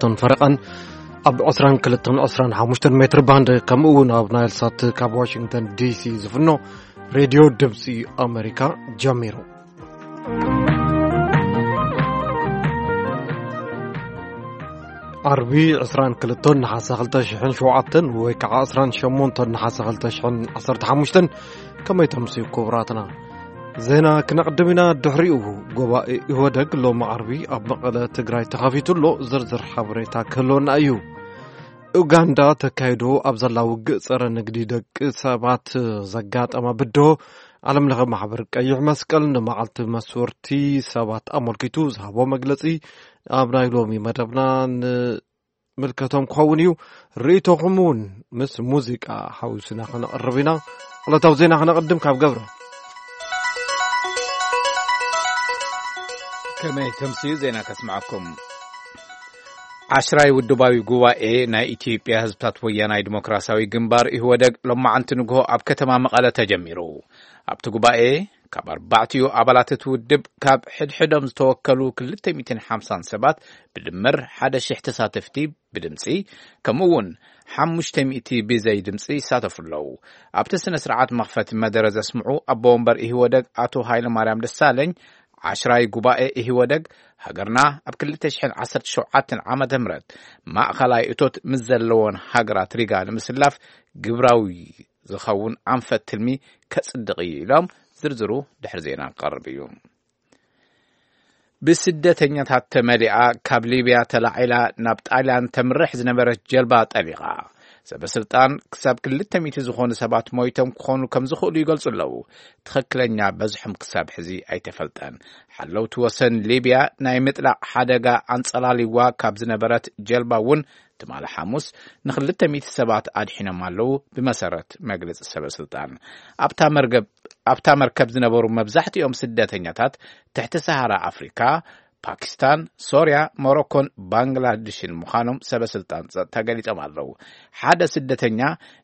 ቶን ፈረቓን ኣብ ዕስራን ክልተን ዕስራን ሓሙሽተን ሜትር ባንድ፣ ከምኡ እውን ኣብ ናይል ሳት ካብ ዋሽንግተን ዲሲ ዝፍኖ ሬድዮ ድምፂ ኣሜሪካ ጀሚሩ። ዓርቢ ዕስራን ክልተን ነሓሰ ክልተ ሽሕን ሸውዓተን ወይ ከዓ ዕስራን ሸሞንተን ነሓሰ ክልተ ሽሕን ዓሰርተ ሓሙሽተን። ከመይ ተምስዩ ክቡራትና? ዜና ክነቕድም ኢና። ድሕሪኡ ጉባኤ ኢህወደግ ሎሚ ዓርቢ ኣብ መቐለ ትግራይ ተኸፊቱ ኣሎ። ዝርዝር ሓበሬታ ክህልወና እዩ። ኡጋንዳ ተካይዶ ኣብ ዘላ ውግእ ጸረ ንግዲ ደቂ ሰባት ዘጋጠማ ብድሆ፣ ዓለም ለኸ ማሕበር ቀይሕ መስቀል ንመዓልቲ መስወርቲ ሰባት ኣመልኪቱ ዝሃቦ መግለጺ ኣብ ናይ ሎሚ መደብና ንምልከቶም ክኸውን እዩ። ርእይቶኹም እውን ምስ ሙዚቃ ሓዊስና ከነቕርብ ኢና። ዕለታዊ ዜና ከነቕድም ካብ ገብረ። ከመይ ተምስዩ ዜና ከስምዓኩም። ዓሽራይ ውድባዊ ጉባኤ ናይ ኢትዮጵያ ህዝብታት ወያናይ ዲሞክራሲያዊ ግንባር፣ ኢህወደግ፣ ሎማዓንቲ ንግሆ ኣብ ከተማ መቐለ ተጀሚሩ። ኣብቲ ጉባኤ ካብ ኣርባዕቲኡ ኣባላት እቲ ውድብ ካብ ሕድሕዶም ዝተወከሉ ክልተ ሚእትን ሓምሳን ሰባት፣ ብድምር ሓደ ሺሕ ተሳተፍቲ ብድምፂ፣ ከምኡ እውን ሓሙሽተ ሚእቲ ብዘይ ድምፂ ይሳተፉ ኣለዉ። ኣብቲ ስነ ስርዓት መኽፈቲ መደረ ዘስምዑ ኣቦ ወንበር ኢህወደግ ኣቶ ሃይለማርያም ደሳለኝ፣ ዓሽራይ ጉባኤ ኢህወደግ፣ ሃገርና ኣብ ክልተ ሽሕን ዓሰርተ ሸውዓተን ዓመተ ምህረት ማእኸላይ እቶት ምስ ዘለዎን ሃገራት ሪጋ ንምስላፍ ግብራዊ ዝኸውን ኣንፈት ትልሚ ከጽድቕ እዩ ኢሎም። ዝርዝሩ ድሕሪ ዜና ክቐርብ እዩ። ብስደተኛታት ተመሊኣ ካብ ሊብያ ተላዒላ ናብ ጣልያን ተምርሕ ዝነበረት ጀልባ ጠሊቓ። ሰበ ስልጣን ክሳብ ክልተ ሚእቲ ዝኾኑ ሰባት ሞይቶም ክኾኑ ከም ዝኽእሉ ይገልጹ ኣለዉ። ትኽክለኛ በዝሖም ክሳብ ሕዚ ኣይተፈልጠን። ሓለውቲ ወሰን ሊብያ ናይ ምጥላቕ ሓደጋ ኣንጸላሊዋ ካብ ዝነበረት ጀልባ እውን ትማሊ ሓሙስ ንክልተ ሚእቲ ሰባት ኣድሒኖም ኣለዉ፣ ብመሰረት መግለጺ ሰበ ስልጣን። ኣብታ መርገብ-፣ ኣብታ መርከብ ዝነበሩ መብዛሕትኦም ስደተኛታት ትሕቲ ሰሃራ ኣፍሪካ፣ ፓኪስታን፣ ሶርያ፣ ሞሮኮን ባንግላድሽን ምዃኖም ሰበ ስልጣን ጸጥታ ገሊጾም ኣለዉ። ሓደ ስደተኛ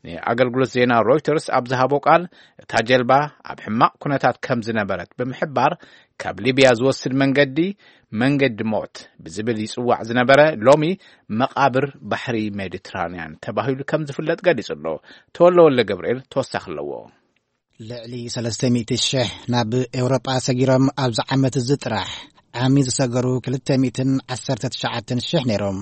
ንኣገልግሎት ዜና ሮይተርስ ኣብ ዝሃቦ ቃል፣ እታ ጀልባ ኣብ ሕማቕ ኩነታት ከም ዝነበረት ብምሕባር፣ ካብ ሊብያ ዝወስድ መንገዲ፣ መንገዲ ሞት ብዝብል ይጽዋዕ ዝነበረ፣ ሎሚ መቓብር ባሕሪ ሜዲትራንያን ተባሂሉ ከም ዝፍለጥ ገሊጹ ኣሎ። ተወልደ ወልደ ገብርኤል ተወሳኺ ኣለዎ። ልዕሊ ሰለስተ ሚእቲ ሽሕ ናብ ኤውሮጳ ሰጊሮም ኣብዚ ዓመት እዚ ጥራሕ ዓሚ ዝሰገሩ ክልተ ሚእትን ዓሰርተ ትሽዓተን ሽሕ ነይሮም።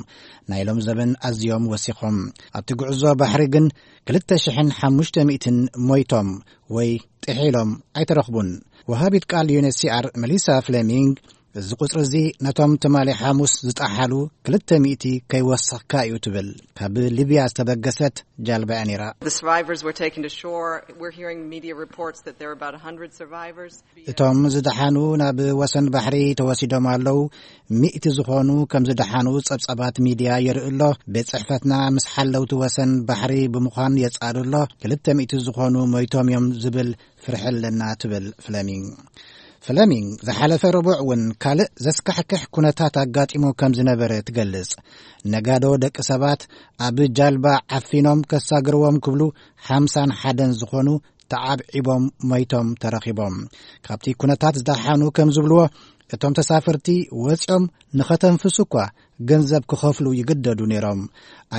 ናይ ሎም ዘበን ኣዝዮም ወሲኾም። ኣብቲ ጉዕዞ ባሕሪ ግን ክልተ ሽሕን ሓሙሽተ ሚእትን ሞይቶም ወይ ጥሒሎም ኣይተረኽቡን። ወሃቢት ቃል ዩ ኤን ኤች ሲ ኣር መሊሳ ፍሌሚንግ፣ እዚ ቁጽሪ እዚ ነቶም ትማሊ ሓሙስ ዝጠሓሉ ክልተ ሚእቲ ከይወሰኽካ እዩ ትብል። ካብ ሊብያ ዝተበገሰት ጃልባ እያ ነይራ። The survivors were taken to shore. We're hearing media reports that there are about a hundred survivors. እቶም ዝደሓኑ ናብ ወሰን ባሕሪ ተወሲዶም ኣለዉ። ሚእቲ ዝኾኑ ከም ዝደሓኑ ጸብጻባት ሚድያ የርኢ ኣሎ። ቤት ጽሕፈትና ምስ ሓለውቲ ወሰን ባሕሪ ብምዃን የጻሪ ኣሎ። ክልተ ሚእቲ ዝኾኑ ሞይቶም እዮም ዝብል ፍርሒ ኣለና ትብል ፍለሚንግ። ፍለሚንግ ዝሓለፈ ረቡዕ እውን ካልእ ዘስካሕክሕ ኩነታት ኣጋጢሙ ከም ዝነበረ ትገልጽ። ነጋዶ ደቂ ሰባት ኣብ ጃልባ ዓፊኖም ከሳግርዎም ክብሉ ሓምሳን ሓደን ዝኾኑ ተዓብዒቦም ሞይቶም ተረኺቦም። ካብቲ ኩነታት ዝደሓኑ ከም ዝብልዎ፣ እቶም ተሳፈርቲ ወጺኦም ንኸተንፍሱ እኳ ገንዘብ ክኸፍሉ ይግደዱ ነይሮም።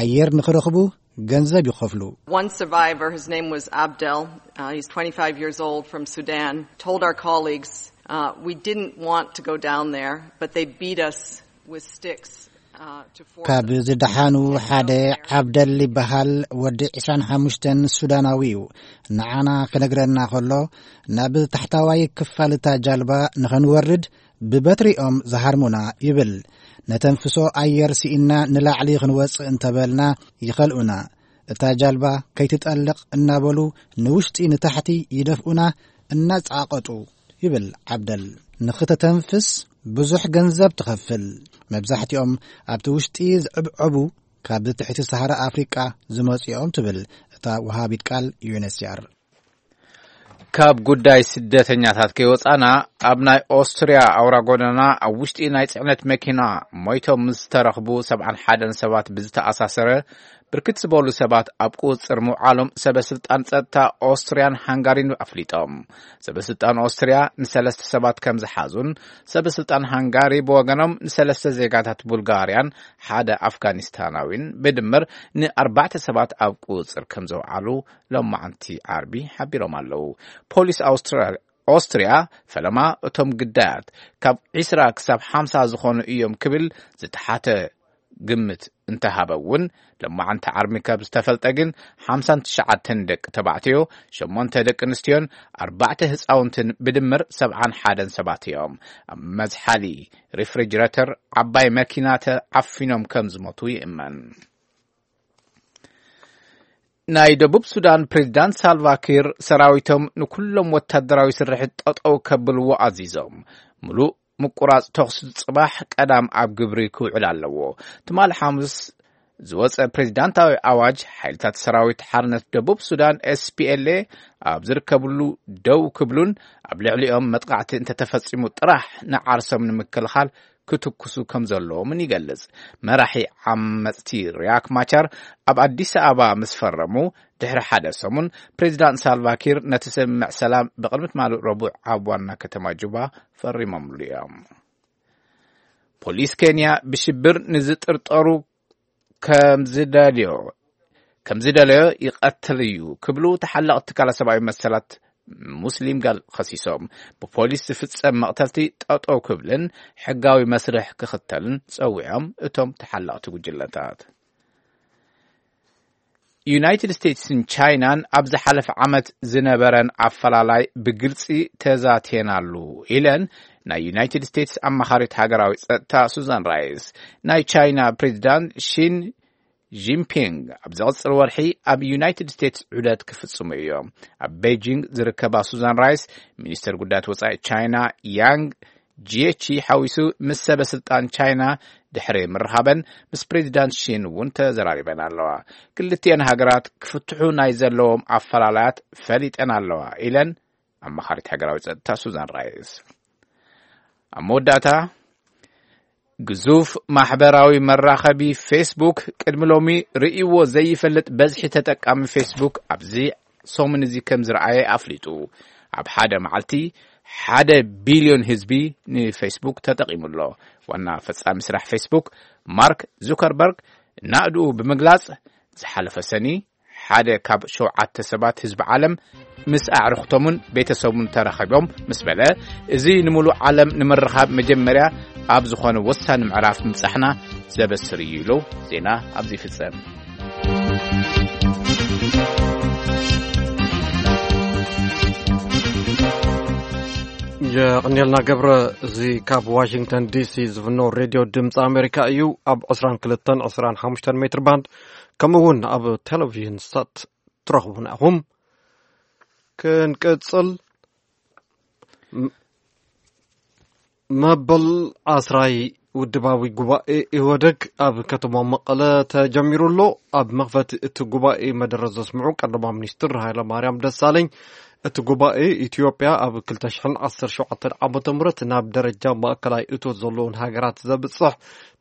ኣየር ንኽረኽቡ ገንዘብ ይኸፍሉ። One survivor, his name was Abdel. Uh, he's twenty-five years old from Sudan. Told our colleagues, uh, we didn't want to go down there, but they beat us with sticks, uh, to force ካብ us ዝደሓኑ ሓደ ዓብደል ይበሃል። ወዲ ዕስራን ሓሙሽተን ሱዳናዊ እዩ። ንዓና ክነግረና ከሎ፣ ናብ ታሕታዋይ ክፋል እታ ጃልባ ንኸንወርድ ብበትሪኦም ዝሃርሙና ይብል። ነተንፍሶ ኣየር ስኢንና ንላዕሊ ክንወጽእ እንተበልና ይኸልኡና። እታ ጃልባ ከይትጠልቕ እናበሉ ንውሽጢ ንታሕቲ ይደፍኡና እናጻቐጡ ይብል ዓብደል። ንኽተተንፍስ ብዙሕ ገንዘብ ትኸፍል። መብዛሕትኦም ኣብቲ ውሽጢ ዝዕብዐቡ ካብ ትሕቲ ሰሃራ ኣፍሪቃ ዝመጹ እዮም ትብል እታ ወሃቢት ቃል ዩ ኤን ኤች ሲ ኣር። ካብ ጉዳይ ስደተኛታት ከይወጻና፣ ኣብ ናይ ኦስትርያ ኣውራ ጎደና ኣብ ውሽጢ ናይ ጽዕነት መኪና ሞይቶም ምስ ዝተረኽቡ ሰብዓን ሓደን ሰባት ብዝተኣሳሰረ ብርክት ዝበሉ ሰባት ኣብ ቁጽጽር ምውዓሎም ሰበ ስልጣን ጸጥታ ኦስትርያን ሃንጋሪን ኣፍሊጦም። ሰበ ስልጣን ኦስትርያ ንሰለስተ ሰባት ከም ዝሓዙን፣ ሰበ ስልጣን ሃንጋሪ ብወገኖም ንሰለስተ ዜጋታት ቡልጋርያን ሓደ ኣፍጋኒስታናዊን ብድምር ንኣርባዕተ ሰባት ኣብ ቁጽጽር ከም ዘውዓሉ ሎማዓንቲ ዓርቢ ሓቢሮም ኣለዉ። ፖሊስ ኣውስትራ-፣ ኦስትርያ ፈለማ እቶም ግዳያት ካብ ዒስራ ክሳብ ሓምሳ ዝኾኑ እዮም ክብል ዝተሓተ ግምት እንተሃበ እውን፣ ሎማዓንቲ ዓርቢ ካብ ዝተፈልጠ ግን ሓምሳን ትሽዓተን ደቂ ተባዕትዮ፣ ሸሞንተ ደቂ ኣንስትዮን ኣርባዕተ ህፃውንትን ብድምር ሰብዓን ሓደን ሰባት እዮም ኣብ መዝሓሊ ሪፍሪጅረተር ዓባይ መኪና ተዓፊኖም ከም ዝሞቱ ይእመን። ናይ ደቡብ ሱዳን ፕሬዝዳንት ሳልቫኪር ሰራዊቶም ንኩሎም ወታደራዊ ስርሒት ጠጠው ከብልዎ ኣዚዞም። ምሉእ ምቁራጽ ተኹሲ ጽባሕ ቀዳም ኣብ ግብሪ ክውዕል ኣለዎ። ትማሊ ሓሙስ ዝወጸ ፕሬዝዳንታዊ ኣዋጅ፣ ሓይልታት ሰራዊት ሓርነት ደቡብ ሱዳን ኤስፒኤልኤ ኣብ ዝርከብሉ ደው ክብሉን ኣብ ልዕሊኦም መጥቃዕቲ እንተተፈጺሙ ጥራሕ ንዓርሶም ንምክልኻል ክትኩሱ ከም ዘለዎምን ይገልጽ። መራሒ ዓመጽቲ ሪያክ ማቻር ኣብ ኣዲስ ኣበባ ምስ ፈረሙ ድሕሪ ሓደ ሰሙን፣ ፕሬዚዳንት ሳልቫኪር ነቲ ስምምዕ ሰላም ብቕድሚ ትማሊ ረቡዕ ኣብ ዋና ከተማ ጁባ ፈሪሞምሉ እዮም። ፖሊስ ኬንያ ብሽብር ንዝጥርጠሩ ከም ዝደልዮ፣ ከም ዝደለዮ ይቐትል እዩ ክብሉ ተሓላቒ ትካላት ሰብኣዊ መሰላት ሙስሊም ጋል ከሲሶም። ብፖሊስ ዝፍጸም መቕተልቲ ጠጠው ክብልን ሕጋዊ መስርሕ ክኽተልን ጸዊዖም እቶም ተሓላቕቲ ጉጅለታት። ዩናይትድ ስቴትስን ቻይናን ኣብ ዝሓለፈ ዓመት ዝነበረን ኣፈላላይ ብግልጺ ተዛትየናሉ ኢለን ናይ ዩናይትድ ስቴትስ ኣማኻሪት ሃገራዊ ጸጥታ ሱዛን ራይስ። ናይ ቻይና ፕሬዚዳንት ሺን ጂንፒንግ ኣብ ዝቕጽል ወርሒ ኣብ ዩናይትድ ስቴትስ ዑደት ክፍጽሙ እዮም። ኣብ ቤጂንግ ዝርከባ ሱዛን ራይስ፣ ሚኒስተር ጉዳያት ወጻኢ ቻይና ያንግ ጂየቺ ሓዊሱ ምስ ሰበ ስልጣን ቻይና ድሕሪ ምርኻበን፣ ምስ ፕሬዚዳንት ሺን እውን ተዘራሪበን ኣለዋ። ክልቲኤን ሃገራት ክፍትሑ ናይ ዘለዎም ኣፈላላያት ፈሊጠን ኣለዋ ኢለን ኣማኻሪት ሃገራዊ ጸጥታ ሱዛን ራይስ። ኣብ መወዳእታ፣ ግዙፍ ማሕበራዊ መራኸቢ ፌስቡክ ቅድሚ ሎሚ ርእይዎ ዘይፈልጥ በዝሒ ተጠቃሚ ፌስቡክ ኣብዚ ሰሙን እዚ ከም ዝረኣየ ኣፍሊጡ። ኣብ ሓደ መዓልቲ ሓደ ቢልዮን ህዝቢ ንፌስቡክ ተጠቒሙ ኣሎ። ዋና ፈጻሚ ስራሕ ፌስቡክ ማርክ ዙከርበርግ ናእድኡ ብምግላጽ፣ ዝሓለፈ ሰኒ ሓደ ካብ ሸውዓተ ሰባት ህዝቢ ዓለም ምስ ኣዕሩኽቶምን ቤተሰቡን ተራኺቦም ምስ በለ፣ እዚ ንምሉእ ዓለም ንምርኻብ መጀመርያ ኣብ ዝኾነ ወሳኒ ምዕራፍ ምብጻሕና ዘበስር እዩ ኢሉ ዜና ኣብዚ ይፍጸም። የቐንየልና ገብረ። እዚ ካብ ዋሽንግተን ዲሲ ዝፍኖ ሬድዮ ድምፂ ኣሜሪካ እዩ። ኣብ ዕስራን ክልተን ዕስራን ሓሙሽተን ሜትር ባንድ፣ ከምኡ እውን ኣብ ቴሌቪዥን ሳት ትረኽቡና ኢኹም። ክንቅጽል። ም-፣ መበል ዓስራይ ውድባዊ ጉባኤ ኢህወደግ ኣብ ከተማ መቐለ ተጀሚሩ ኣሎ። ኣብ መኽፈቲ እቲ ጉባኤ መደረ ዘስምዑ ቀዳማይ ሚኒስትር ሃይለ ማርያም ደሳለኝ፣ እቲ ጉባኤ ኢትዮጵያ ኣብ ክልተ ሽሕን ዓሰርተ ሸውዓተን ዓመተ ምህረት ናብ ደረጃ ማእከላይ እቶት ዘለውን ሃገራት ዘብጽሕ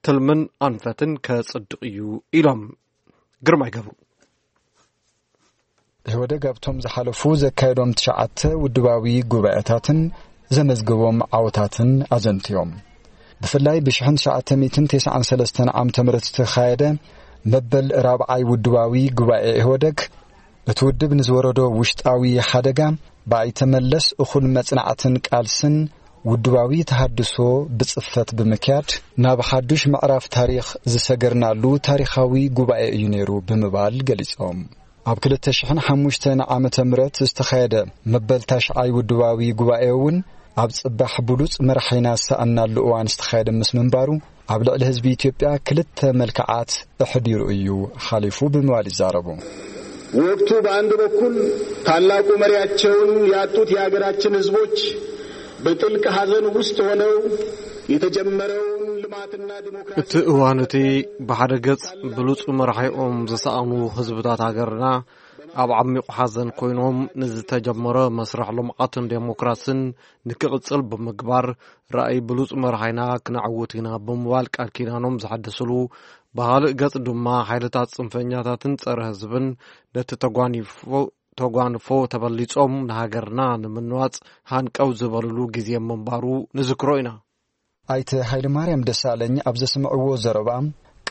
ትልምን ኣንፈትን ከጽድቕ እዩ ኢሎም። ግርማይ ገብሩ። ኢህወደግ ኣብቶም ዝሓለፉ ዘካየዶም ትሽዓተ ውድባዊ ጉባኤታትን ዘመዝገቦም ዓወታትን ኣዘንትዮም። ብፍላይ ብሽሕን ትሽዓተ ሚእትን ተስዓን ሰለስተን ዓመተ ምህረት ዝተኻየደ መበል ራብዓይ ውድባዊ ጉባኤ ኢህወደግ፣ እቲ ውድብ ንዝወረዶ ውሽጣዊ ሓደጋ ብኣይተ መለስ እኹል መጽናዕትን ቃልስን ውድባዊ ተሃድሶ ብጽፈት ብምክያድ ናብ ሓዱሽ ምዕራፍ ታሪኽ ዝሰገርናሉ ታሪኻዊ ጉባኤ እዩ ነይሩ ብምባል ገሊጾም። ኣብ ክልተ ሽሕን ሓሙሽተን ዓመተ ምህረት ዝተኻየደ መበል ታሽዓይ ውድባዊ ጉባኤ እውን ኣብ ጽባሕ ብሉጽ መራሒና ዝሰኣንናሉ እዋን ዝተኻየደ ምስ ምንባሩ፣ ኣብ ልዕሊ ህዝቢ ኢትዮጵያ ክልተ መልክዓት ኣሕዲሩ እዩ ሓሊፉ ብምባል ይዛረቡ። ወቅቱ በአንድ በኩል ታላቁ መሪያቸውን ያጡት የሀገራችን ህዝቦች በጥልቅ ሐዘን ውስጥ ሆነው የተጀመረውን ልማትና ዲሞክራሲ እቲ እዋን እቲ ብሓደ ገጽ ብሉጽ መራሒኦም ዝሰኣኑ ህዝብታት ሃገርና ኣብ ዓሚቕ ሓዘን ኮይኖም ንዝተጀመረ መስርሕ ልምዓትን ዴሞክራስን ንክቕጽል ብምግባር ራእይ ብሉጽ መራሒና ክነዕውት ኢና ብምባል ቃል ኪዳኖም ዘሐደስሉ ብኻልእ ገጽ ድማ ሓይልታት ጽንፈኛታትን ጸረ ህዝብን ነቲ ተጓኒፎ ተጓንፎ ተበሊጾም ንሃገርና ንምንዋጽ ሃንቀው ዝበልሉ ግዜ ምንባሩ ንዝክሮ ኢና። ኣይተ ሃይለማርያም ደሳለኝ ኣብ ዘስምዕዎ ዘረባ፣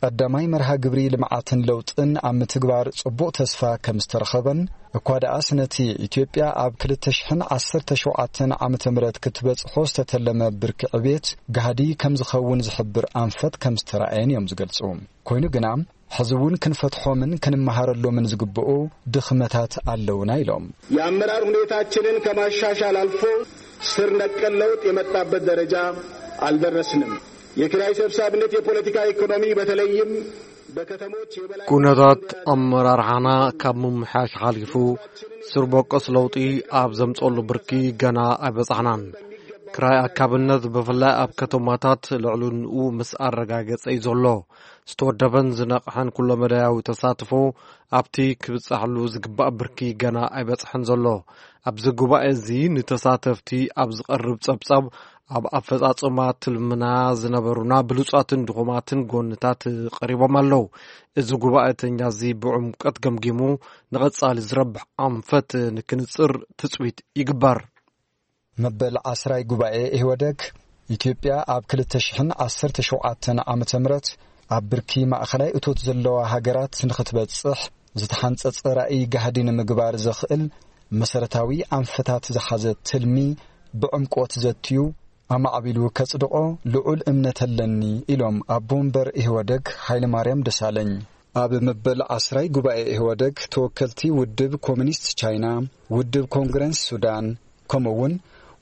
ቀዳማይ መርሃ ግብሪ ልምዓትን ለውጥን ኣብ ምትግባር ጽቡቕ ተስፋ ከም ዝተረኸበን፣ እኳ ደኣስ ነቲ ኢትዮጵያ ኣብ ክልተ ሽሕን ዓሰርተ ሸውዓተን ዓመተ ምህረት ክትበጽሖ ዝተተለመ ብርኪ ዕብየት ጋህዲ ከም ዝኸውን ዝሕብር ኣንፈት ከም ዝተራእየን እዮም ዝገልጹ። ኮይኑ ግና፣ ሕዚ እውን ክንፈትሖምን ክንመሃረሎምን ዝግብኡ ድኽመታት ኣለውና ኢሎም። የአመራር ሁኔታችንን ከማሻሻል አልፎ ስር ነቀል ለውጥ የመጣበት ደረጃ አልደረስንም። የኪራይ ሰብሳቢነት የፖለቲካ ኢኮኖሚ በተለይም በከተሞች የበላይ ኩነታት ኣመራርሓና ካብ ምምሕያሽ ሓሊፉ ስር በቆስ ለውጢ ኣብ ዘምጸሉ ብርኪ ገና ኣይበጻሕናን። ክራይ ኣካብነት ብፍላይ ኣብ ከተማታት ልዕልንኡ ምስ ኣረጋገጸ እዩ ዘሎ። ዝተወደበን ዝነቕሐን ኩለመዳያዊ ተሳትፎ ኣብቲ ክብጻሕሉ ዝግባእ ብርኪ ገና ኣይበጽሐን ዘሎ። ኣብዚ ጉባኤ እዚ ንተሳተፍቲ ኣብ ዝቐርብ ጸብጻብ ኣብ ኣፈጻጽማ ትልምና ዝነበሩና ብሉጻትን ድኹማትን ጎንታት ቀሪቦም ኣለዉ። እዚ ጉባኤተኛ እዚ ብዕምቀት ገምጊሙ ንቐጻሊ ዝረብሕ ኣንፈት ንክንጽር ትጽቢት ይግበር። መበል ዓስራይ ጉባኤ ኢህወደግ ኢትዮጵያ ኣብ ክልተ ሽሕን ዓሰርተ ሸውዓተን ዓመተ ምህረት ኣብ ብርኪ ማእኸላይ እቶት ዘለዋ ሃገራት ንኽትበጽሕ ዝተሓንጸጸ ራእይ ጋህዲ ንምግባር ዘኽእል መሰረታዊ ኣንፈታት ዝሓዘ ትልሚ ብዕምቆት ዘትዩ ኣማዕቢሉ ከጽድቖ ልዑል እምነት ኣለኒ ኢሎም ኣቦ ወንበር ኢህወደግ ሃይለማርያም ደሳለኝ። ኣብ መበል ዓስራይ ጉባኤ ኢህወደግ ተወከልቲ ውድብ ኮሚኒስት ቻይና፣ ውድብ ኮንግረስ ሱዳን፣ ከምኡ እውን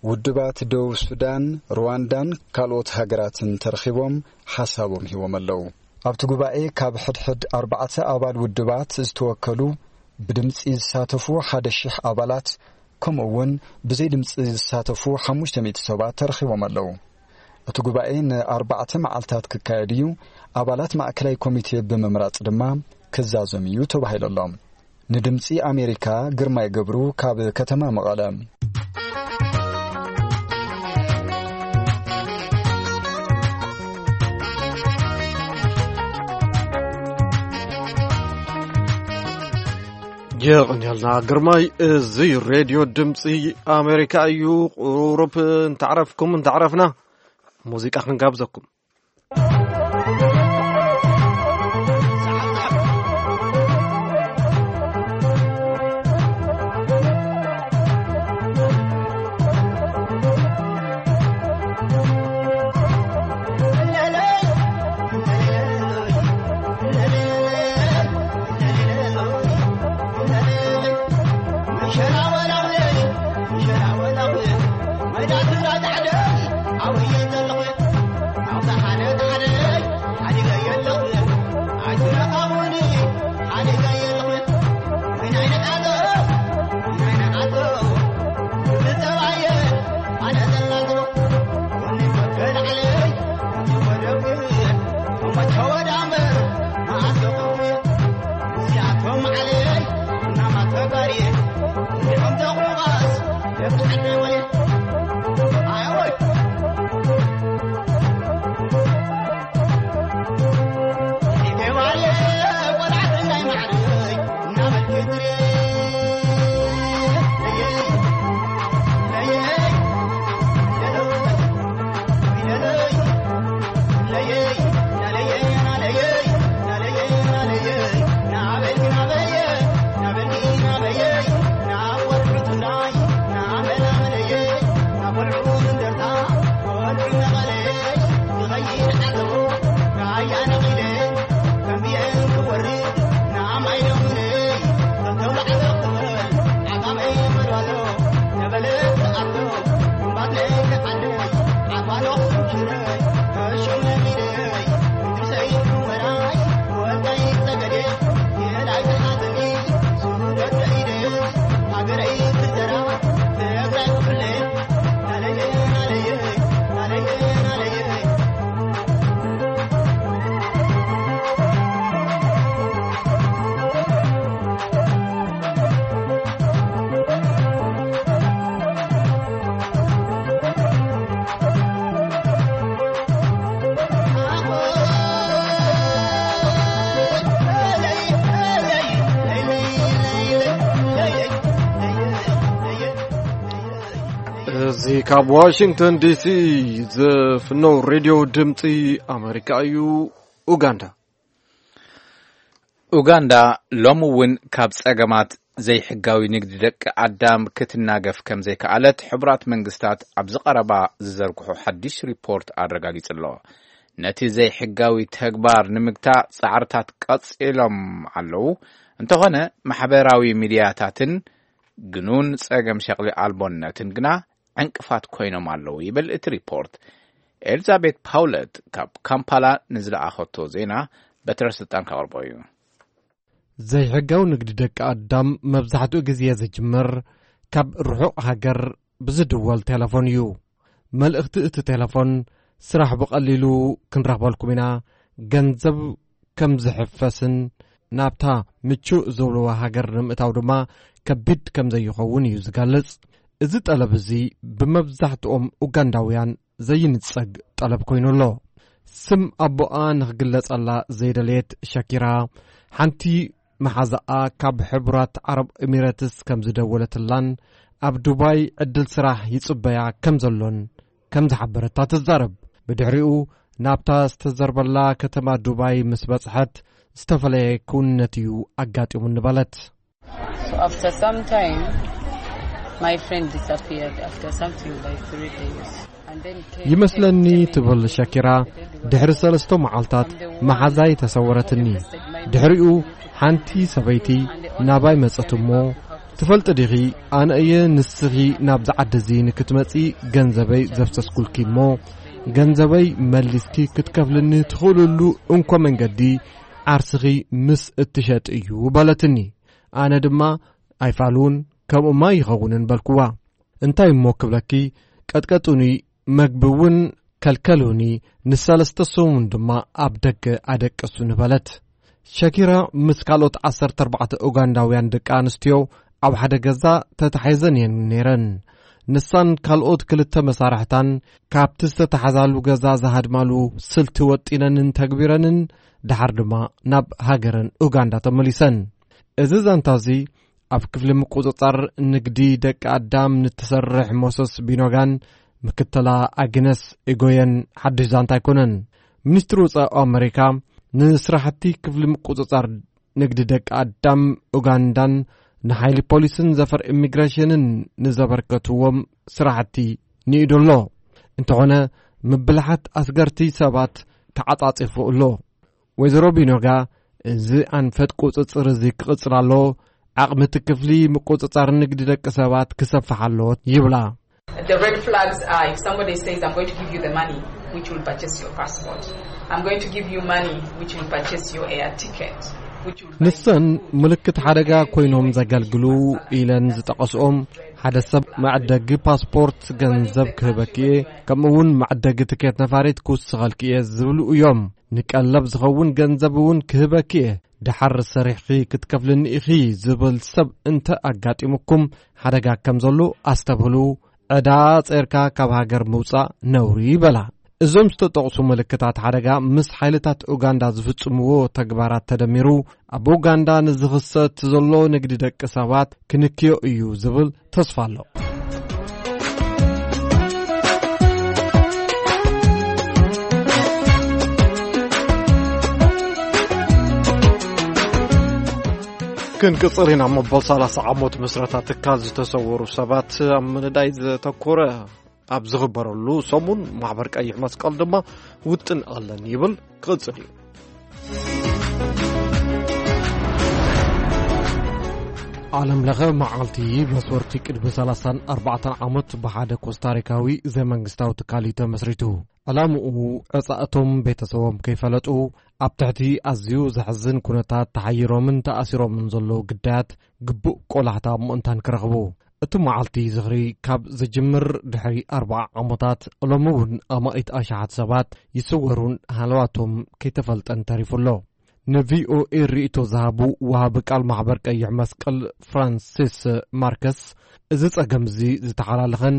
ውድባት ደቡብ ሱዳን፣ ሩዋንዳን ካልኦት ሃገራትን ተረኺቦም ሓሳቦም ሂቦም ኣለዉ። ኣብቲ ጉባኤ ካብ ሕድሕድ ኣርባዕተ ኣባል ውድባት ዝተወከሉ ብድምፂ ዝሳተፉ ሓደ ሺሕ ኣባላት፣ ከምኡ እውን ብዘይ ድምፂ ዝሳተፉ ሓሙሽተ ሚእቲ ሰባት ተረኺቦም ኣለዉ። እቲ ጉባኤ ንኣርባዕተ መዓልታት ክካየድ እዩ። ኣባላት ማእከላይ ኮሚቴ ብምምራፅ ድማ ክዛዘም እዩ ተባሂሉ ኣሎ። ንድምፂ ኣሜሪካ ግርማይ ገብሩ ካብ ከተማ መቐለ። የቐንየልና ግርማይ። እዚ ሬድዮ ድምፂ ኣሜሪካ እዩ። ቁሩብ እንተዕረፍኩም እንተዕረፍና ሙዚቃ ክንጋብዘኩም። ካብ ዋሽንግተን ዲሲ ዝፍነው ሬድዮ ድምፂ ኣሜሪካ እዩ። ኡጋንዳ። ኡጋንዳ ሎሚ እውን ካብ ጸገማት ዘይሕጋዊ ንግዲ ደቂ ኣዳም ክትናገፍ ከም ዘይከኣለት ሕቡራት መንግስታት ኣብዚ ቀረባ ዝዘርግሖ ሓድሽ ሪፖርት ኣረጋጊጹ ኣሎ። ነቲ ዘይሕጋዊ ተግባር ንምግታእ ጻዕርታት ቀጺሎም ኣለዉ። እንተኾነ ማሕበራዊ ሚድያታትን ግኑን ጸገም ሸቕሊ ኣልቦነትን ግና ዕንቅፋት ኮይኖም ኣለዉ ይብል እቲ ሪፖርት። ኤልዛቤት ፓውለት ካብ ካምፓላ ንዝለኣኸቶ ዜና በትረ ስልጣን ከቕርቦ እዩ። ዘይሕጋዊ ንግዲ ደቂ ኣዳም መብዛሕትኡ ግዜ ዝጅምር ካብ ርሑቕ ሃገር ብዝድወል ቴሌፎን እዩ። መልእኽቲ እቲ ቴሌፎን፣ "ስራሕ ብቐሊሉ ክንረኽበልኩም ኢና፣ ገንዘብ ከም ዝሕፈስን ናብታ ምቹእ ዝብልዋ ሃገር ንምእታው ድማ ከቢድ ከም ዘይኸውን" እዩ ዝገልጽ። እዚ ጠለብ እዚ ብመብዛሕትኦም ኡጋንዳውያን ዘይንጸግ ጠለብ ኮይኑ ኣሎ። ስም ኣቦኣ ንኽግለጸላ ዘይደለየት ሸኪራ፣ ሓንቲ መሓዛኣ ካብ ሕቡራት ዓረብ ኤሚሬትስ ከም ዝደወለትላን ኣብ ዱባይ ዕድል ስራሕ ይጽበያ ከም ዘሎን ከም ዝሓበረታ ትዛረብ። ብድሕሪኡ ናብታ ዝተዘርበላ ከተማ ዱባይ ምስ በጽሐት፣ "ዝተፈለየ ክውንነት እዩ ኣጋጢሙኒ" በለት። So after some time, my friend disappeared after something like three days. And then came ይመስለኒ came ትብል ሸኪራ፣ "ድሕሪ ሰለስተ መዓልታት መሓዛይ ተሰወረትኒ። ድሕሪኡ ሓንቲ ሰበይቲ ናባይ መጸት እሞ፣ 'ትፈልጢ ዲኺ፣ ኣነ እየ ንስኺ ናብዚ ዓዲ እዚ ንክትመጺ ገንዘበይ ዘፍሰስኩልኪ እሞ፣ ገንዘበይ መሊስኪ ክትከፍልኒ ትኽእልሉ እንኮ መንገዲ ዓርስኺ ምስ እትሸጥ እዩ' በለትኒ። ኣነ ድማ ኣይፋልውን፣ ከምኡማ ይኸውንን በልኩዋ። እንታይ እሞ ክብለኪ፣ ቀጥቀጡኒ፣ መግቢ እውን ከልከሉኒ፣ ንሰለስተ ሰሙን ድማ ኣብ ደገ ኣደቀሱኒ" በለት። ሸኪራ ምስ ካልኦት ዓሰርተ ኣርባዕተ ኡጋንዳውያን ደቂ ኣንስትዮ ኣብ ሓደ ገዛ ተታሒዘን እየን ነይረን። ንሳን ካልኦት ክልተ መሳርሕታን ካብቲ ዝተታሕዛሉ ገዛ ዝሃድማሉ ስልቲ ወጢነንን ተግቢረንን፣ ደሓር ድማ ናብ ሃገረን ኡጋንዳ ተመሊሰን። እዚ ዛንታ እዚ ኣብ ክፍሊ ምቁጽጻር ንግዲ ደቂ ኣዳም ንትሰርሕ ሞሰስ ቢኖጋን ምክትላ ኣግነስ ኢጎየን ሓድሽ ዛንታ ኣይኮነን። ሚኒስትሪ ወጻኢ ኣሜሪካ ንስራሕቲ ክፍሊ ምቁጽጻር ንግዲ ደቂ ኣዳም ኡጋንዳን ንሓይሊ ፖሊስን ዘፈር ኢሚግሬሽንን ንዘበርከትዎም ስራሕቲ ንኢዱ ኣሎ። እንተኾነ ምብልሓት ኣስገርቲ ሰባት ተዓጻጺፉ ኣሎ። ወይዘሮ ቢኖጋ፣ "እዚ ኣንፈት ቁጽጽር እዚ ክቕጽል ኣለዎ፣ ዓቕሚ እቲ ክፍሊ ምቁጽጻር ንግዲ ደቂ ሰባት ክሰፍሕ ኣለዎ" ይብላ። The red flags are if somebody says, "I'm going to give you the money which will purchase your passport. I'm going to give you money which will purchase your air ticket." Which will buy ንሰን ምልክት ሓደጋ ኮይኖም ዘገልግሉ ኢለን ዝጠቐስኦም፣ ሓደ ሰብ መዕደጊ ፓስፖርት ገንዘብ ክህበኪ እየ፣ ከምኡ እውን መዕደጊ ትኬት ነፋሪት ክውስኸልኪ እየ ዝብሉ እዮም። ንቀለብ ዝኸውን ገንዘብ እውን ክህበኪ እየ፣ ደሓር ሰሪሕኺ ክትከፍልኒ ኢኺ ዝብል ሰብ እንተ ኣጋጢሙኩም፣ ሓደጋ ከም ዘሎ ኣስተብህሉ፣ ዕዳ ጸርካ ካብ ሃገር ምውጻእ ነውሪ ይበላ። እዞም ዝተጠቕሱ ምልክታት ሓደጋ ምስ ሓይልታት ኡጋንዳ ዝፍጽምዎ ተግባራት ተደሚሩ፣ ኣብ ኡጋንዳ ንዝኽሰት ዘሎ ንግዲ ደቂ ሰባት ክንክዮ እዩ ዝብል ተስፋ ኣሎ። ክንቅጽል ኢና። መበል ሰላሳ ዓመት ምስረታ ትካል ዝተሰወሩ ሰባት ኣብ ምንዳይ ዘተኮረ ኣብ ዝኽበረሉ ሰሙን፣ ማሕበር ቀይሕ መስቀል ድማ ውጥን ኣለን ይብል። ክቕጽል እዩ። ዓለም ለኸ መዓልቲ መስወርቲ ቅድሚ ሰላሳን ኣርባዕተን ዓመት ብሓደ ኮስታሪካዊ ዘይመንግስታዊ ትካል እዩ ተመስሪቱ። ዕላምኡ፣ ዕጻ እቶም ቤተሰቦም ከይፈለጡ ኣብ ትሕቲ ኣዝዩ ዘሕዝን ኩነታት ተሓይሮምን ተኣሲሮምን ዘለዉ ግዳያት ግቡእ ቆላሕታ ምእንታን ክረኽቡ። እቲ መዓልቲ ዝኽሪ ካብ ዝጅምር ድሕሪ ኣርብዓ ዓመታት፣ ሎሚ እውን ኣማኢት ኣሽሓት ሰባት ይስወሩን ሃለዋቶም ከይተፈልጠን ተሪፉ ኣሎ። ንቪኦኤ ርእይቶ ዝሃቡ ወሃቢ ቃል ማሕበር ቀይሕ መስቀል ፍራንሲስ ማርከስ፣ እዚ ጸገም እዚ ዝተሓላለኸን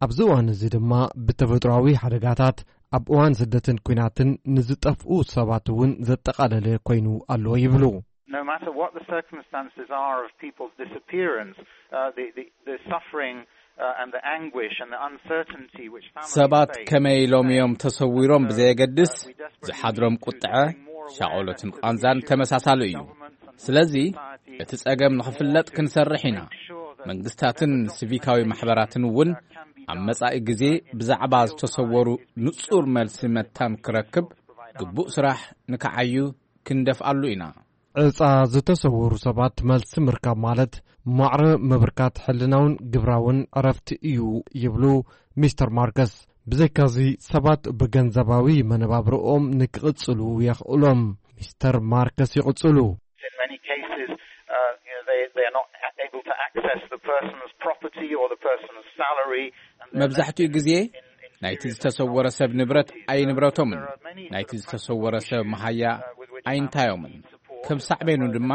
ኣብዚ እዋን እዚ ድማ ብተፈጥሮኣዊ ሓደጋታት፣ ኣብ እዋን ስደትን ኲናትን ንዝጠፍኡ ሰባት እውን ዘጠቓለለ ኮይኑ ኣሎ ይብሉ። No matter what the circumstances are of people's disappearance, uh, the, the, the suffering uh, and the anguish and the uncertainty which families ሰባት face ከመይ ኢሎም እዮም ተሰዊሮም ብዘየገድስ፣ ዝሓድሮም ቁጥዐ፣ ሻቐሎትን ቃንዛን ተመሳሳሊ እዩ። ስለዚ እቲ ጸገም ንኽፍለጥ ክንሰርሕ ኢና። መንግስታትን ሲቪካዊ ማሕበራትን እውን ኣብ መጻኢ ግዜ ብዛዕባ ዝተሰወሩ ንጹር መልሲ መታን ክረክብ ግቡእ ስራሕ ንክዓዩ ክንደፍኣሉ ኢና። ዕጻ ዝተሰወሩ ሰባት መልሲ ምርካብ ማለት ማዕረ ምብርካት ሕልናውን ግብራውን ዕረፍቲ እዩ ይብሉ ሚስተር ማርከስ። ብዘይካዚ ሰባት ብገንዘባዊ መነባብርኦም ንክቕጽሉ የኽእሎም። ሚስተር ማርከስ ይቕጽሉ። In many cases, uh, you know, they, they're not able to access the person's property or the person's salary. And they're መብዛሕትኡ ግዜ ናይቲ ዝተሰወረ ሰብ ንብረት ኣይንብረቶምን፣ ናይቲ ዝተሰወረ ሰብ መሃያ ኣይንታዮምን። ከም ሳዕቤኑ ድማ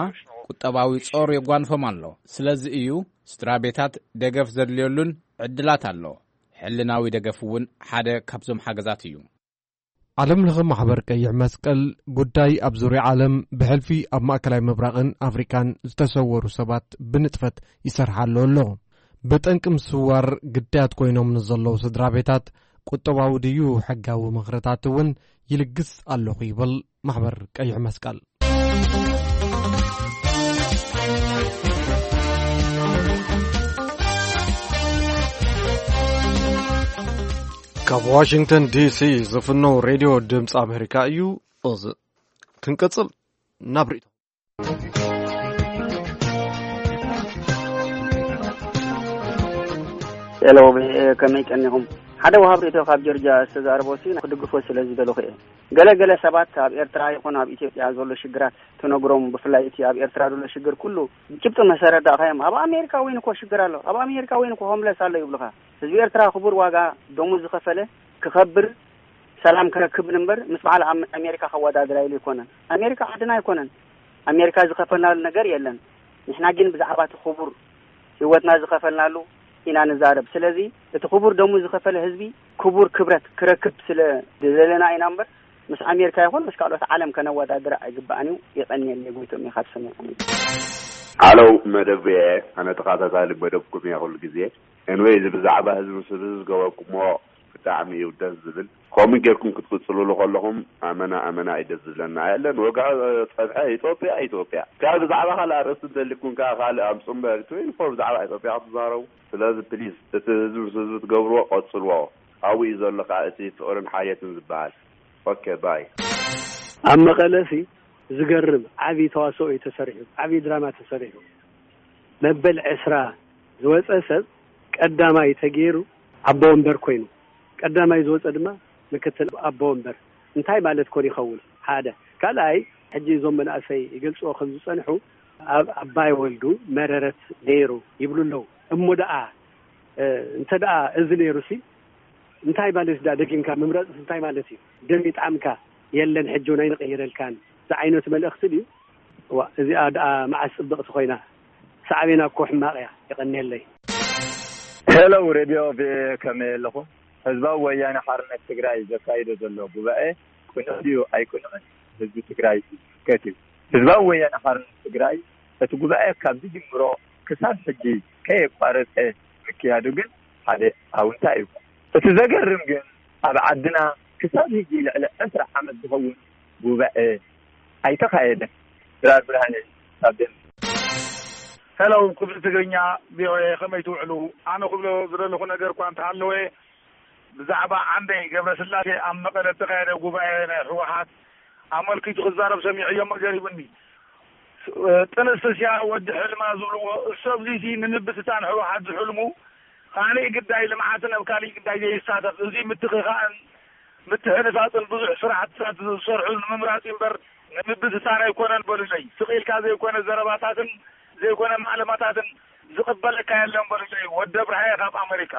ቁጠባዊ ጾር የጓንፎም ኣሎ። ስለዚ እዩ ስድራ ቤታት ደገፍ ዘድልየሉን ዕድላት ኣሎ። ሕልናዊ ደገፍ እውን ሓደ ካብዞም ሓገዛት እዩ። ዓለም ለኸ ማሕበር ቀይሕ መስቀል ጉዳይ ኣብ ዙርያ ዓለም ብሕልፊ ኣብ ማእከላይ ምብራቕን ኣፍሪካን ዝተሰወሩ ሰባት ብንጥፈት ይሰርሓሉ ኣሎ። ብጠንቂ ምስዋር ግዳያት ኮይኖም ንዘለዉ ስድራ ቤታት ቁጠባዊ ድዩ ሕጋዊ ምኽርታት እውን ይልግስ ኣለኹ ይብል ማሕበር ቀይሕ መስቀል። ካብ ዋሽንግተን ዲሲ ዝፍነው ሬድዮ ድምፂ ኣሜሪካ እዩ። እዚ ክንቅፅል ናብ ርእይቶ። ሄሎ፣ ከመይ ቀኒኹም? ሓደ ወሃብ ርእይቶ ካብ ጆርጅያ ዝተዛረቦ ሲ ክድግፎ ስለ ዝደለኹ እየ። ገለ ገለ ሰባት ኣብ ኤርትራ ይኹን ኣብ ኢትዮጵያ ዘሎ ሽግራት ትነግሮም፣ ብፍላይ እቲ ኣብ ኤርትራ ዘሎ ሽግር ኩሉ ጭብጢ መሰረት ዳእኻዮም። ኣብ ኣሜሪካ እውን እኮ ሽግር ኣሎ፣ ኣብ ኣሜሪካ እውን እኮ ሆምለስ ኣሎ ይብሉኻ። ህዝቢ ኤርትራ ክቡር ዋጋ ደሙ ዝኸፈለ ክኸብር ሰላም ክረክብን እምበር ምስ በዓል ኣም- ኣሜሪካ ከወዳድራ ኢሉ ኣይኮነን። ኣሜሪካ ዓድና ኣይኮነን። ኣሜሪካ ዝኸፈልናሉ ነገር የለን። ንሕና ግን ብዛዕባ እቲ ክቡር ህይወትና ዝኸፈልናሉ ኢና ንዛረብ። ስለዚ እቲ ክቡር ደሙ ዝኸፈለ ህዝቢ ክቡር ክብረት ክረክብ ስለ ዝደለና ኢና እምበር ምስ ኣሜሪካ ይኹን ምስ ካልኦት ዓለም ከነወዳድር ኣይግባእን እዩ። የቐንየለይ ጎይቶም ኢኻ ትሰሚዖም። ሃለው መደብ እየ። ኣነ ተኸታታሊ መደብኩም እየ ኩሉ ግዜ። ኤንወይ እዚ ብዛዕባ ህዝቢ ስብ ዝገበርኩሞ ብጣዕሚ እዩ ደስ ዝብል። ከምኡ ጌርኩም ክትቅፅልሉ ከለኹም ኣመና ኣመና እዩ ደስ ዝብለና። የለን ወግዒ ፀብሐ ኢትዮጵያ ኢትዮጵያ ካብ ብዛዕባ ካልእ ኣርእስቲ እንተሊኩም ከዓ ካልእ ኣምፁ እምበር ትዌንቲ ፎር ብዛዕባ ኢትዮጵያ ክትዛረቡ። ስለዚ ፕሊዝ እቲ ህዝቢ ምስ ህዝቢ ትገብርዎ ቀፅልዎ። ኣብኡ እዩ ዘሎ ከዓ እቲ ፍቕርን ሓልየትን ዝበሃል። ኦኬ ባይ። ኣብ መቐለሲ ዝገርም ዓብዪ ተዋስኦ እዩ ተሰሪሑ፣ ዓብዪ ድራማ ተሰሪሑ። መበል ዕስራ ዝወፀ ሰብ ቀዳማይ ተገይሩ ኣቦ ወንበር ኮይኑ፣ ቀዳማይ ዝወፀ ድማ ምክትል ኣቦ ወንበር። እንታይ ማለት ኮን ይኸውን? ሓደ ካልኣይ፣ ሕጂ እዞም መናእሰይ ይገልፅዎ ከም ዝፀንሑ ኣብ ኣባይ ወልዱ መረረት ነይሩ ይብሉ ኣለዉ። እሞ ደኣ እንተ ደኣ እዚ ነይሩ ሲ እንታይ ማለት ደኣ ደጊምካ ምምረፅ እንታይ ማለት እዩ? ደም ይጥዓምካ የለን ሕጂ እውን ኣይንቕይረልካን ዝዓይነቱ መልእኽቲ ድዩ? እዋ እዚኣ ደኣ መዓስ ፅብቕቲ ኮይና? ሳዕቤና እኮ ሕማቕ እያ። የቐንየለይ። ሄሎ ሬድዮ ቪኦኤ ከመይ ኣለኹም? ህዝባዊ ወያነ ሓርነት ትግራይ ዘካይዶ ዘሎ ጉባኤ ቅኑዕ ድዩ ኣይቅኑዕን ህዝቢ ትግራይ እዩ ዝምልከት እዩ። ህዝባዊ ወያነ ሓርነት ትግራይ እቲ ጉባኤ ካብ ዝጅምሮ ክሳብ ሕጂ ከየቋረፀ ምክያዱ ግን ሓደ ኣውንታ እዩ። እቲ ዘገርም ግን ኣብ ዓድና ክሳብ ሕጂ ልዕሊ ዕስራ ዓመት ዝኸውን ጉባኤ ኣይተኻየደን። ድራር ብርሃነ ካብ ደንቢ። ሄሎ ክፍሊ ትግርኛ ቪኦኤ ከመይ ትውዕሉ? ኣነ ክብሎ ዝደለኹ ነገር እኳ እንተሃለወ ብዛዕባ ዓንደይ ገብረስላሴ ኣብ መቐለ እተኻየደ ጉባኤ ናይ ህወሓት ኣመልኪቱ ክዛረብ ሰሚዐዮ እሞ ገሪሙኒ። ጥንስስያ ወዲ ሕልማ ዝብልዎ እሱ ኣብዚሲ ንምብትታን ህወሓት ዝሕልሙ ካሊእ ግዳይ ልምዓትን ኣብ ካሊእ ግዳይ ዘይሳተፍ እዚ ምትኽኻእን ምትሕንፋፅን ብዙሕ ስራሕትታት ዝሰርሑ ንምምራፅ እዩ እምበር ንምብትታን ኣይኮነን በሉለይ። ስቕ ኢልካ ዘይኮነ ዘረባታትን ዘይኮነ ማዕለማታትን ዝቕበለካ የለን በሉለይ። ወዲ ኣብርሃየ ካብ ኣመሪካ።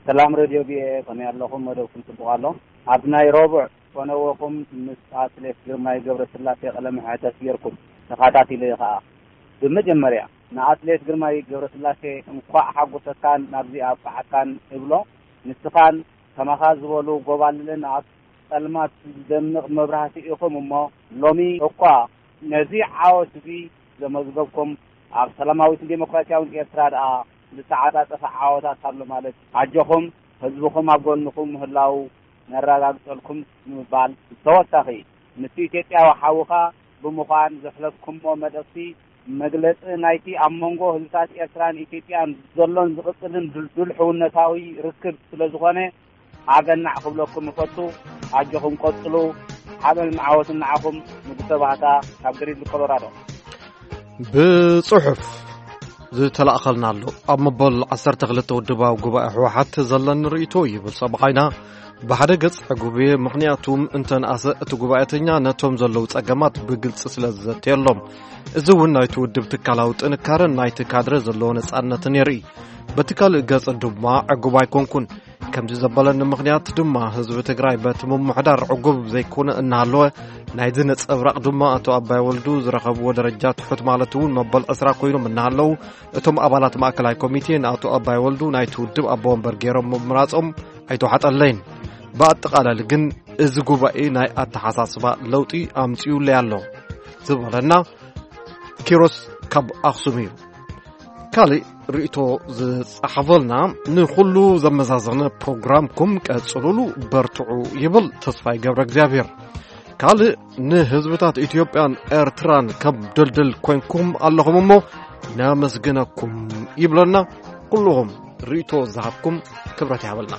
ሰላም ሬድዮ ቪኦኤ ከመይ ኣለኹም? መደብኩም ጽቡቕ ኣሎ። ኣብ ናይ ረቡዕ ፈነወኹም ምስ ኣትሌት ግርማይ ገብረስላሴ ቃለ መሕተት ጌርኩም ተኻታቲለ እየ ኸኣ። ብመጀመርያ ንኣትሌት ግርማይ ገብረስላሴ እንኳዕ ሓጎሰካን ናብዚ ኣብቅዓካን እብሎ። ንስኻን ከማኻ ዝበሉ ጎባልልን ኣብ ጸልማት ዝደምቕ መብራህቲ ኢኹም እሞ ሎሚ እኳ ነዚ ዓወት እዚ ዘመዝገብኩም ኣብ ሰላማዊትን ዴሞክራሲያዊን ኤርትራ ደኣ ዝተዓጻጸፈ ዓወታት ኣሎ ማለት እዩ። ኣጆኹም፣ ህዝብኹም ኣብ ጎንኹም ምህላዉ ነረጋግጸልኩም ንምባል፣ ብተወሳኺ ምስ ኢትዮጵያዊ ሓውኻ ብምዃን ዘሕለፍኩሞ መልእኽቲ መግለጺ ናይቲ ኣብ መንጎ ህዝብታት ኤርትራን ኢትዮጵያን ዘሎን ዝቕጽልን ድልዱል ሕውነታዊ ርክብ ስለ ዝኾነ፣ ኣገናዕ ክብለኩም እፈቱ። ኣጆኹም ቀጽሉ። ሓበንን ዓወትን ንዓኹም። ንጉሰ ባህታ ካብ ግሪንድ ኮሎራዶ። ብጽሑፍ ዝተላእኸልና ኣሎ። ኣብ መበል ዓሰርተ ክልተ ውድባዊ ጉባኤ ህወሓት ዘለኒ ርእይቶ ይብል ሰብኣይና ብሓደ ገጽ ዕጉብ እየ። ምኽንያቱ እንተንኣሰ እቲ ጉባኤተኛ ነቶም ዘለዉ ጸገማት ብግልጺ ስለ ዝዘተየሎም። እዚ እውን ናይቲ ውድብ ትካላዊ ጥንካረን ናይቲ ካድረ ዘለዎ ነጻነትን የርኢ። በቲ ካልእ ገጽ ድማ ዕጉብ ኣይኮንኩን። ከምዚ ዘበለኒ ምኽንያት ድማ ህዝቢ ትግራይ በቲ ምምሕዳር ዕጉብ ዘይኮነ እናሃለወ፣ ናይዚ ነጸብራቕ ድማ ኣቶ ኣባይ ወልዱ ዝረኸብዎ ደረጃ ትሑት ማለት እውን መበል ዕስራ ኮይኖም እናሃለዉ፣ እቶም ኣባላት ማእከላይ ኮሚቴ ንኣቶ ኣባይ ወልዱ ናይቲ ውድብ ኣቦ ወንበር ገይሮም ምምራጾም ኣይተዋሕጠለይን። ብኣጠቓላሊ ግን እዚ ጉባኤ ናይ ኣተሓሳስባ ለውጢ ኣምጺኡለይ ኣሎ ዝበለና ኪሮስ ካብ ኣኽሱም እዩ። ካልእ ርእይቶ ዝጸሓፈልና፣ ንኹሉ ዘመዛዘነ ፕሮግራምኩም ቀጽሉሉ፣ በርትዑ ይብል ተስፋይ ገብረ እግዚኣብሔር። ካልእ ንህዝብታት ኢትዮጵያን ኤርትራን ከም ድልድል ኮንኩም ኣለኹም እሞ ነመስግነኩም ይብለና። ኩልኹም ርእይቶ ዝሃብኩም ክብረት ይሃበልና።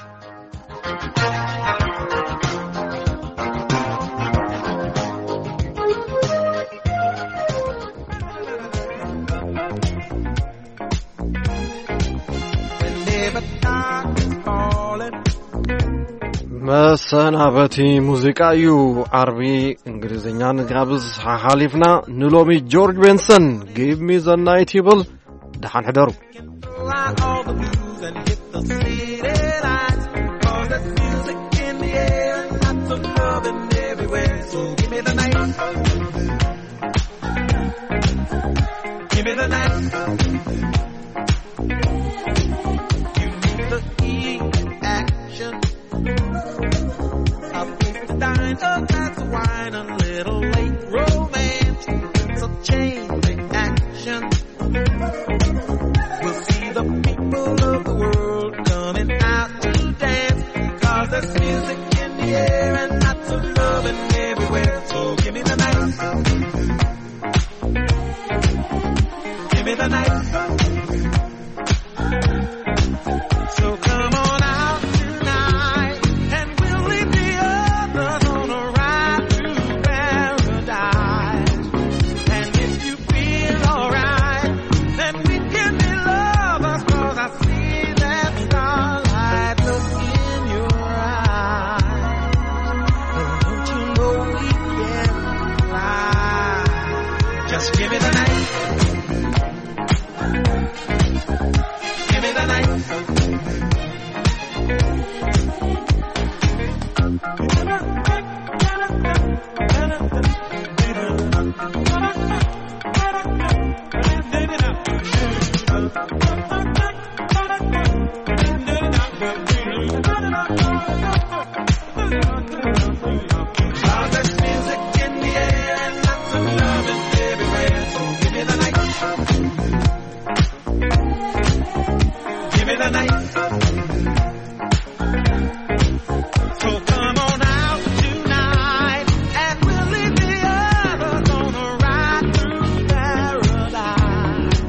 መሰናበቲ ሙዚቃ እዩ። ዓርቢ እንግሊዝኛ ንጋብዝ ሓሓሊፍና ንሎሚ ጆርጅ ቤንሰን ጊቭ ሚ ዘ ናይት ይብል። ደሓን ሕደሩ። Fly all the blues and hit the city lights. 'Cause there's music in the air and lots of loving everywhere. So give me the night. Give me the night. You need the heat and action. A place to dine, a glass of wine, a little late romance. It's a chain reaction. We'll see the people of the world coming out to dance. 'Cause there's music in the air and lots of loving everywhere. So give me the night. Give me the night. So come on out tonight, and we'll leave the others on a ride to paradise. And if you feel alright, then we can be lovers, 'cause I see that starlight look in your eyes. And don't you know we can fly? Just give me the night. Give me the night. So come on out tonight, and we'll leave the others on a ride through paradise.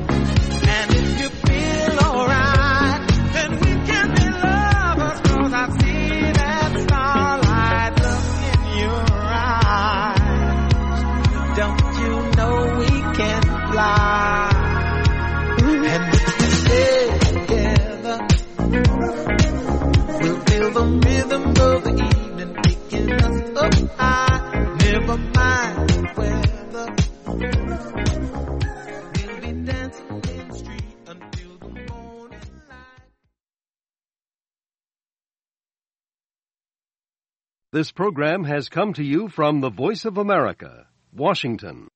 And if you feel alright, then we can be lovers, 'cause I see that starlight look in your eyes. Don't you know we can fly? And if we stay together, we'll feel the rhythm of the evening picking us up high. Never mind the weather. We'll be dancing in the street until the morning light. This program has come to you from the Voice of America, Washington.